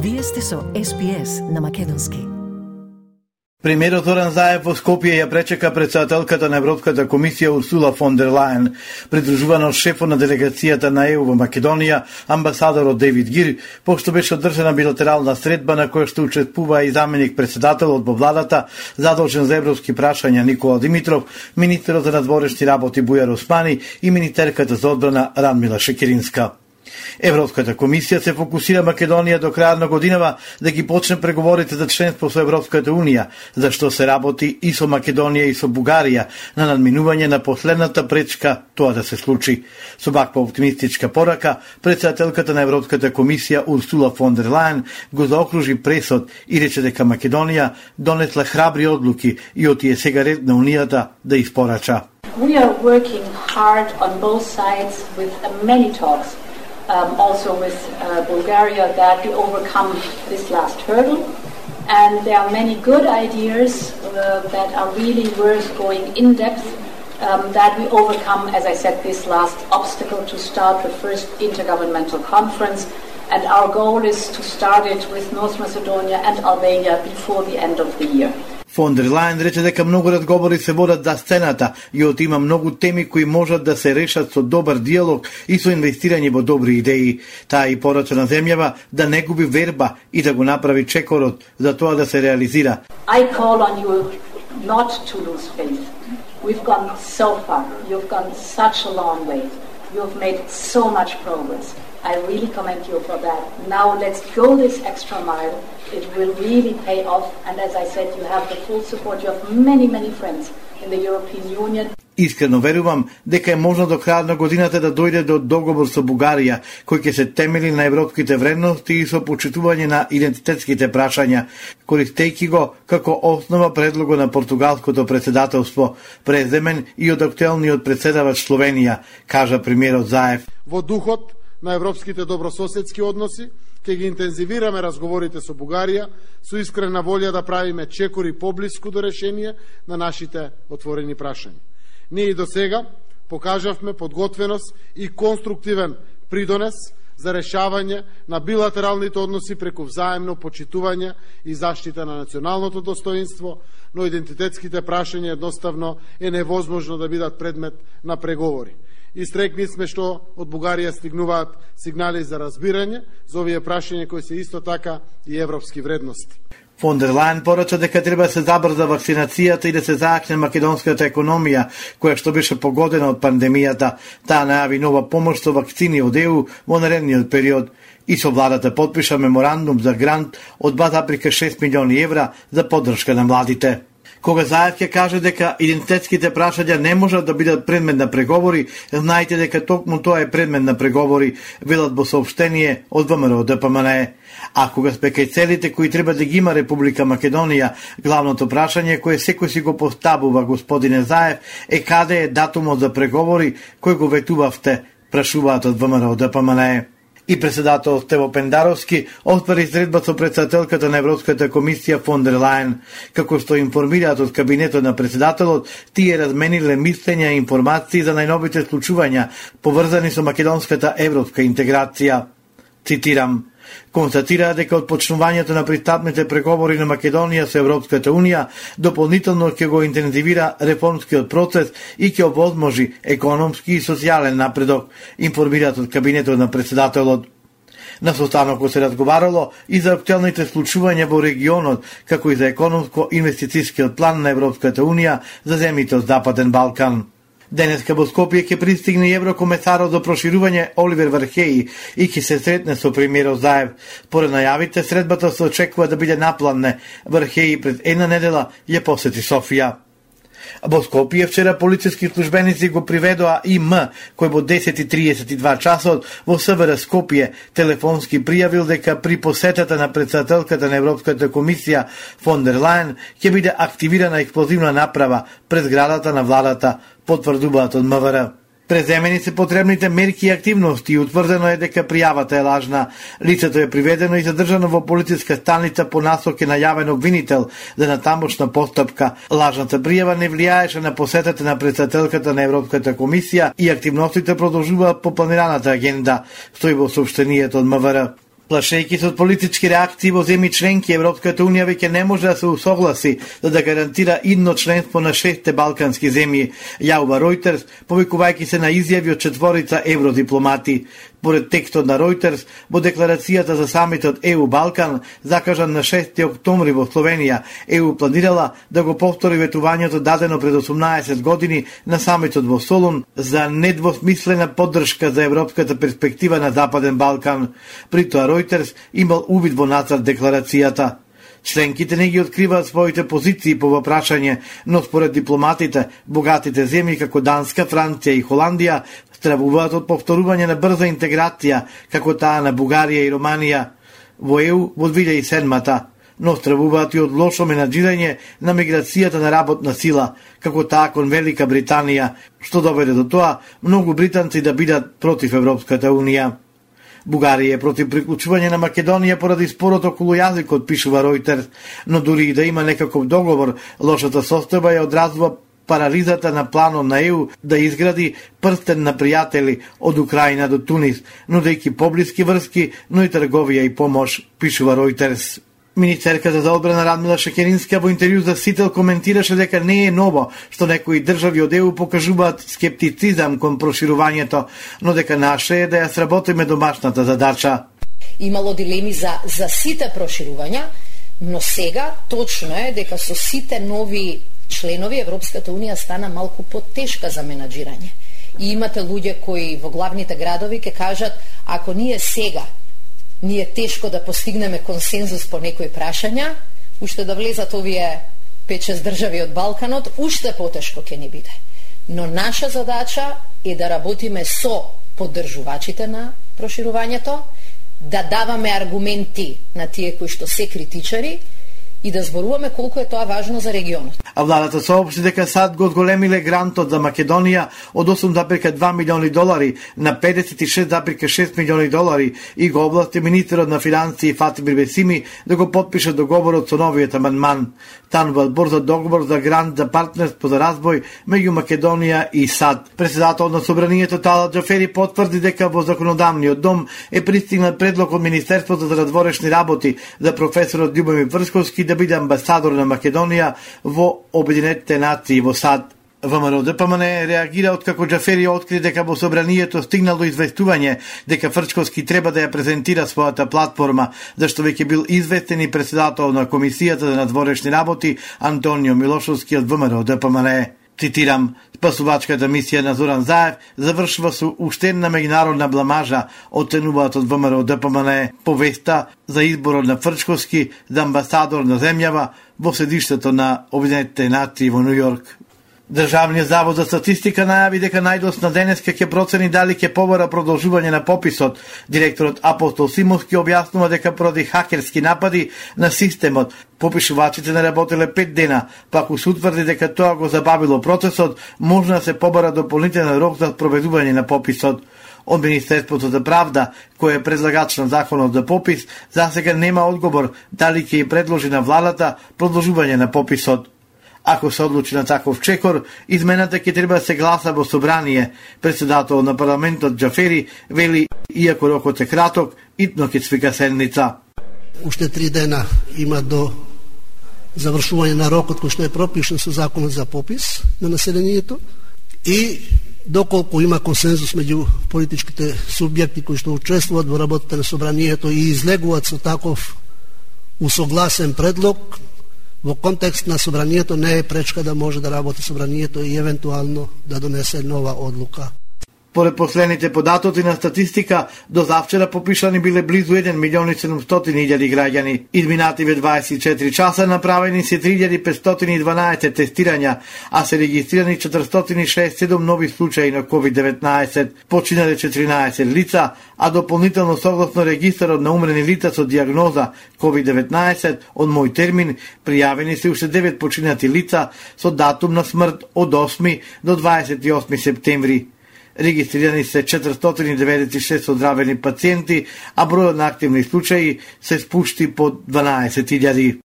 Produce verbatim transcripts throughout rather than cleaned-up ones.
Вие сте со Ес Би Ес на македонски. Премиерот Зоран Заев во Скопје ја пречека претседателката на Европската комисија Урсула фон дер Лајен, придружувана од шефот на делегацијата на Е У во Македонија, амбасадорот Дейвид Гир, пошто беше одржана билатерална средба на која што учествува и заменик претседателот во владата, задолжен за европски прашања Никола Димитров, министерот за надворешни работи Бујар Османи и министерката за одбрана Радмила Шекеринска. Европската комисија се фокусира Македонија до крајот на годинава да ги почне преговорите за членство со Европската унија, за што се работи и со Македонија и со Бугарија на надминување на последната пречка тоа да се случи. Со ваква оптимистичка порака, претседателката на Европската комисија Урсула фон дер Лајен го заокружи пресод и рече дека Македонија донесла храбри одлуки и отие сега ред на унијата да испорача. We are working hard on both sides with many talks. Um, also with uh, Bulgaria, that we overcome this last hurdle. And there are many good ideas uh, that are really worth going in depth, um, that we overcome, as I said, this last obstacle to start the first intergovernmental conference. And our goal is to start it with North Macedonia and Albania before the end of the year. Фон дер Лајен рече дека многу разговори се водат за сцената и од има многу теми кои можат да се решат со добар диалог и со инвестирање во добри идеи. Таа и порача на земјава да не губи верба и да го направи чекорот за тоа да се реализира. I call on you not to lose faith. We've gone so far. You've gone such a long way. You've made so much progress. I really commend you for that. Now let's go this extra mile. It will really pay off, and as I said, you have the full support. You have many, many friends in the European Union. Искрено верувам дека е можно до крајот на годината да дојде до договор со Бугарија, кој ќе се темели на европските вредности и со почитување на идентитетските прашања, користејќи го како основа предлого на португалското претседателство, преземен и од актуелниот претседавач Словенија, кажа премиерот Заев. Во духот на европските добрососедски односи, ќе ги интензивираме разговорите со Бугарија, со искрена волја да правиме чекори поблиску до решение на нашите отворени прашања. Ние и до сега покажавме подготвеност и конструктивен придонес за решавање на билатералните односи преку взаемно почитување и заштита на националното достоинство, но идентитетските прашања едноставно е невозможно да бидат предмет на преговори. Истрекни сме што од Бугарија стигнуваат сигнали за разбирање за овие прашања кои се исто така и европски вредности. Фон дер Лајен порача дека треба да се забрза вакцинацијата и да се заакне македонската економија, која што беше погодена од пандемијата. Таа најави нова помош со вакцини од Е У во наредниот период и со владата подпиша меморандум за грант од два запирка шест милиони евра за поддршка на младите. Кога Заев ќе каже дека идентитетските прашања не можат да бидат предмет на преговори, знаете дека токму тоа е предмет на преговори, велат во соопштение од Вэ Ем Р Д П М Н Е. А кога сме кај целите кои треба да ги има Република Македонија, главното прашање кое секој си го поставува, господине Заев, е каде е датумот за преговори кој го ветувавте, прашуваат од Вэ Ем Р Д П М Н Е. И председател Стево Пендаровски отвори средба со претседателката на Европската комисија фон дер Лајен. Како што информираат од кабинетот на председателот, тие размениле мислења и информации за најновите случувања поврзани со македонската европска интеграција. Цитирам: констатира дека од почнувањето на пристапните преговори на Македонија со Европската унија дополнително ќе го интензивира реформскиот процес и ќе овозможи економски и социјален напредок, информираат од кабинетот на председателот. На состанокот се разговарало и за актуелните случувања во регионот, како и за економско-инвестицијскиот план на Европската унија за земјите од Западен Балкан. Денеска во Скопје ќе пристигне еврокомесарот за проширување Оливер Вархеи и ќе се сретне со премиерот Заев. Поред најавите, средбата се очекува да биде напланне. Вархеи пред една недела ја посети Софија. Во Скопје вчера полициски службеници го приведоа И М, кој во десет и тридесет и два часот во С В Р Скопје телефонски пријавил дека при посетата на претседателката на Европската комисија фон дер Лајен ќе биде активирана експлозивна направа пред зградата на владата, потврдуваат од М В Р. Преземени се потребните мерки и активности и утврдено е дека пријавата е лажна. Лицето е приведено и задржано во полициска станица по насок е најавен обвинител за натамошна постапка. Лажната пријава не влијаеше на посетата на претседателката на Европската комисија и активностите продолжуваат по планираната агенда, стои во соопштението од М В Р. Плашејќи се од политички реакции во земји членки, Европската унија веќе не може да се усогласи за да гарантира идно членство на шестте балкански земји, јавува Reuters, повикувајќи се на изјави од четворица евродипломати. Поред текстот на Reuters, во декларацијата за самитот Е У Балкан, закажан на шести октомври во Словенија, Е У планирала да го повтори ветувањето дадено пред осумнаесет години на самитот во Солун за недвосмислена поддршка за европската перспектива на Западен Балкан. При тоа Reuters имал увид во нацрт декларацијата. Членките не ги откриваат своите позиции по прашање, но според дипломатите, богатите земји како Данска, Франција и Холандија стравуваат од повторување на брза интеграција, како таа на Бугарија и Романија во Е У во две илјади и седма, но стравуваат и од лошо менаџирање на миграцијата на работна сила, како таа кон Велика Британија, што доведе до тоа многу британци да бидат против Европската унија. Бугарија е против приклучување на Македонија поради спорот околу јазикот, пишува Reuters, но дури и да има некаков договор, лошата состојба ја одразува парализата на планот на Е У да изгради прстен на пријатели од Украина до Тунис, нудејќи поблиски врски, но и трговија и помош, пишува Reuters. Министерката за одбрана Радмила Шекеринска во интервју за Сител коментираше дека не е ново што некои држави од Е У покажуваат скептицизам кон проширувањето, но дека наше е да ја сработиме домашната задача. Имало дилеми за, за сите проширувања, но сега точно е дека со сите нови членови Европската унија стана малку потешка за менаџирање. И имате луѓе кои во главните градови ќе кажат, ако ние сега ни е тешко да постигнеме консензус по некои прашања, уште да влезат овие пет-шест држави од Балканот, уште потешко ќе ни биде. Но наша задача е да работиме со поддржувачите на проширувањето, да даваме аргументи на тие кои што се критичари и да зборуваме колку е тоа важно за регионот. А владата соопшти дека САД го одголемиле грантот за Македонија од осум зарез два милиони долари на педесет и шест зарез шест милиони долари и го овласти министерот на финансии Фати Бирбесими да го потпише договорот со новиот амандман. Танува брзо договор за грант за партнерство за развој меѓу Македонија и САД. Председател на собранието Талат Џафери потврди дека во законодавниот дом е пристигнат предлог од Министерството за надворешни работи за професорот Љубомир Врсковски да биде амбасадор на Македонија во Обединетите нации во САД. ВМРО Д П М Н реагира откако Џафери откри дека во собранието стигнало известување дека Фрчковски треба да ја презентира својата платформа, зашто веќе бил известен и председател на Комисијата за надворешни работи Антонио Милошовски од ВМРО Д П М Н. Цитирам, спасувачката мисија на Зоран Заев завршува со уште една меѓународна бламажа, оценуваат од ВМРО Д П М Н повеста за изборот на Фрчковски за амбасадор на земјава во седиштето на Обединетите нации во Нью Йорк. Државниот завод за статистика најави дека најдосна денеска ќе процени дали ќе побара продолжување на пописот. Директорот Апостол Симовски објаснува дека поради хакерски напади на системот, попишувачите не работеле пет дена, па ако се утврди дека тоа го забавило процесот, може да се побара дополнителен рок за спроведување на пописот. Од Министерството за правда, кој е предлагач на законот за попис, засега нема одговор дали ќе ја предложи на владата продолжување на пописот. Ако се одлучи на таков чекор, измената ќе треба да се гласа во собрание. Председател на парламентот Џафери вели, иако рокот е краток, итно ќе свика седница. Уште три дена има до завршување на рокот кој што е пропишен со законот за попис на населението и доколку има консензус меѓу политичките субјекти кои што учествуваат во работата на собранието и излегуваат со таков усогласен предлог, во контекст на собранието не е пречка да може да работи собранието и евентуално да донесе нова одлука. Поред последните податоци на статистика, до завчера попишани биле близу еден милион и седумстотини илјади граѓани. Изминативе дваесет и четири часа направени се три илјади петстотини и дванаесет тестирања, а се регистрирани четиристотини шеесет и седум нови случаи на ковид деветнаесет. Починале четиринаесет лица, а дополнително согласно регистарот на умрени лица со диагноза ковид деветнаесет од мој термин, пријавени се уште девет починати лица со датум на смрт од осми до дваесет и осми септември. Регистрирани се четиристотини и деветдесет и шест оздравени пациенти, а бројот на активни случаи се спушти под дванаесет илјади.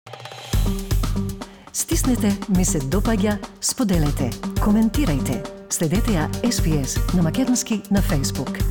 Стиснете, ми се допаѓа, споделете, коментирајте. Следете ја Ес Би Ес на македонски на Facebook.